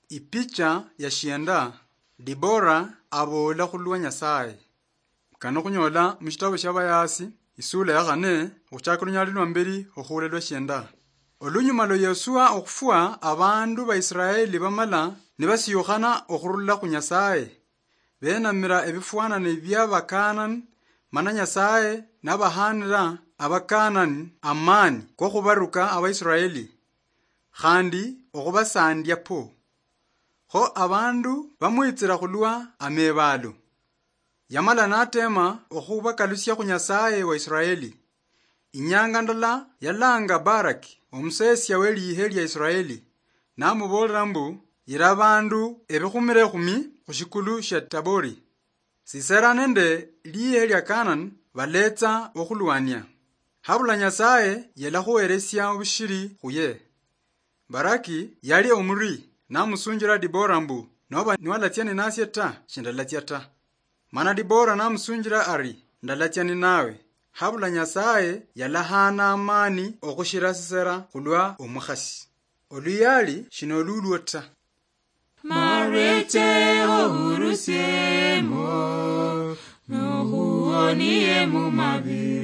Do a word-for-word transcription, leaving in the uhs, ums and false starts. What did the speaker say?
Ipicha ya shienda. Dibora aboola khulwa Nyasaye. Kano khunyola mushitabu shia Bayasi, isula ya khane, okhuchaka lunyali lwa mberi okhuula lwa shienda. Olunyuma lwa Yosua okhufwa, abandu ba Israeli bamala nibasiyukhana okhurula khu Nyasaye. Benamira ebifwanane bia Bakanani, mana Nyasaye nabahanira Abakanani amani kokhubaruka Abaisraeli, khandi okhubasandia po. Kho abandu bamwitsira khulwa amebaalo. Yamala natema okhubakalusia khu Nyasaye wa Israeli. Inyanga ndala yalanga Baraki, omusesia we liihe lia Israeli, namuboolera mbu, yira abandu ebikhumira ekhumi khushikulu shia Tabori. Sisera nende liihe lia Kanani baletsa okhulwania. Habula Nyasaye yalakhuheresia obushiri khuye. Baraki yali omuri, namusunjira Dibora mbu, noba niwalatsia ninasie ta, shindalatsia ta. Mana Dibora namusunjira ari, ndalatsia ninawe. Habula Nyasaye yalahana amani okhushira Sisera khulwa omukhasi. Oluyali shinolulwo ta. Marweche ohurusiemo, nohuonie mu mabi.